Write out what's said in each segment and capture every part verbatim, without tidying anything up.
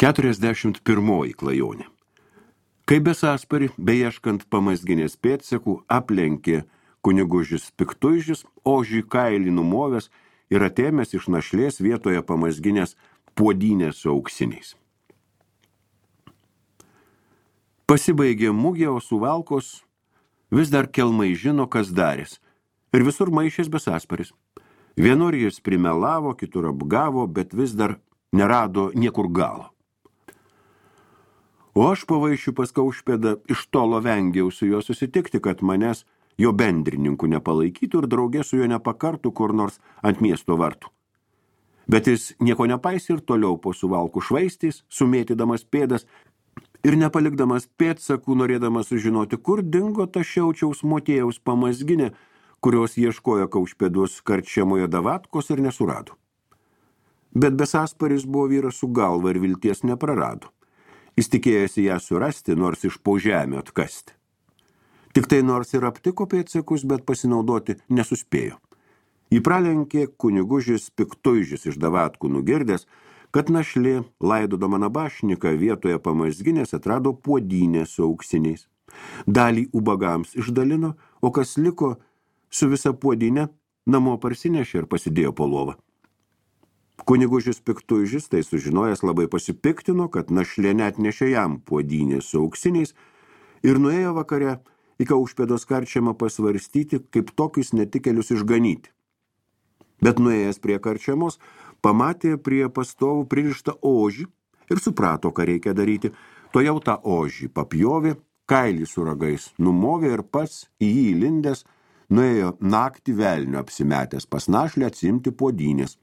Keturiasdešimt pirmoji klajonė. Kai Besasparį, beieškant pamazginės pėdsekų, aplenkė kunigužis Piktuižis, ožį kailį numovęs ir atėmęs iš našlės vietoje pamazginės puodynės su auksiniais. Pasibaigė mugė, o Suvalkos vis dar kelmai žino, kas darės, ir visur maišės Besasparis. Vienur jis primelavo, kitur apgavo, bet vis dar nerado niekur galo. O aš pavaišiu pas Kaušpėdą iš tolo vengiau su juo susitikti, kad manęs jo bendrininkų nepalaikytų ir draugė su juo nepakartų kur nors ant miesto vartų. Bet jis nieko nepaisė ir toliau po Suvalkų švaistys, sumėtydamas pėdas ir nepalikdamas pėdsakų, norėdamas sužinoti, kur dingo ta Šiaučiaus Motiejaus pamazginė, kurios ieškojo Kaušpėdos karčiamoje Davatkos ir nesurado. Bet Besasparis buvo vyras su galva ir vilties neprarado. Jis tikėjosi ją surasti, nors iš po žemę atkasti. Tik tai nors ir aptiko pėdsakus, bet pasinaudoti nesuspėjo. Jį pralenkė kunigužis Piktuižis iš Davatkų nugirdęs, kad našlė, laidodama nabašniką vietoje pamazginės, atrado puodynę su auksiniais. Dalį ubagams išdalino, o kas liko su visa puodynė, namo parsinešė ir pasidėjo po lovą. Kunigužis Piktuižis, tai sužinojęs, labai pasipiktino, kad našlė net nešė jam puodynę su auksiniais ir nuėjo vakare į Kaušpėdos karčiamą pasvarstyti, kaip tokius netikėlius išganyti. Bet nuėjęs prie karčiamos, pamatė prie pastovų pririštą ožį ir suprato, ką reikia daryti. Tojau tą ožį papjovė, kailį su ragais numovė ir pats į jį įlindęs nuėjo naktį velnio apsimetęs pas našlę atsiimti puodynės.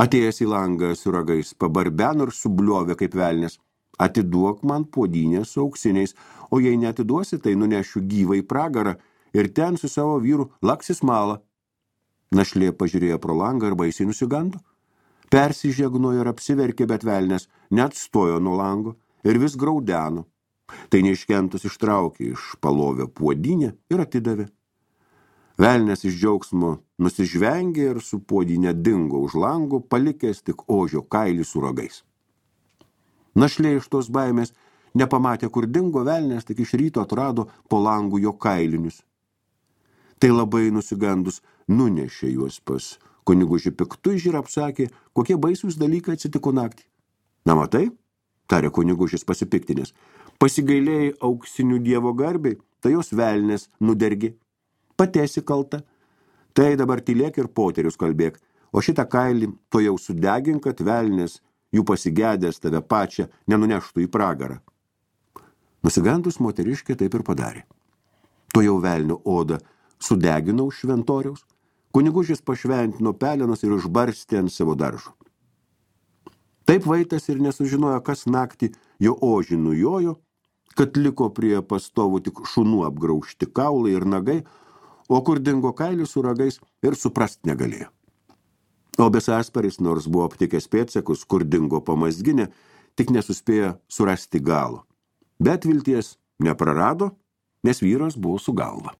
Atėjęs į langą su ragais pabarbeno ir subliovė kaip velnis. Atiduok man puodynę su auksiniais, o jei neatiduosi, tai nunešiu gyvą į pragarą ir ten su savo vyru laksis malą. Našlė pažiūrėjo pro langą ir baisiai nusigando. Persižegnojo ir apsiverkė, bet velnės neatstojo nuo lango ir vis graudeno. Tai neiškentus ištraukė iš palovio puodynę ir atidavė. Velnės iš džiaugsmo nusižvengė ir su puodynė dingo už lango, palikęs tik ožio kailį su ragais. Našlė iš tos baimės nepamatė, kur dingo velnės, tik iš ryto atrado po langų jo kailinius. Tai labai nusigandus nunešė juos pas kunigužį Piktuižį ir apsakė, kokie baisūs dalykai atsitiko naktį. Na matai, tarė kunigužis pasipiktinės, pasigailėjai auksinių dievo garbei, tai jos velnės nudergė. Patesi kalta, tai dabar tylėk ir poterius kalbėk, o šitą kailį to jau sudegink, kad velnės jų pasigedęs tave pačią nenuneštų į pragarą. Nusigandus moteriškė taip ir padarė. To jau velnio odą sudeginau šventoriaus, kunigužis pašventino pelenas ir užbarstė ant savo daržo. Taip vaitas ir nesužinojo, kas naktį jo ožį nujojo, kad liko prie pastovų tik šunų apgraužti kaulai ir nagai, o kur dingo kailis su ragais ir suprast negalėjo. O Besasparis, nors buvo aptikęs pėdsakus, kur dingo pamazginė, tik nesuspėjo surasti galo. Bet vilties neprarado, nes vyras buvo su galva.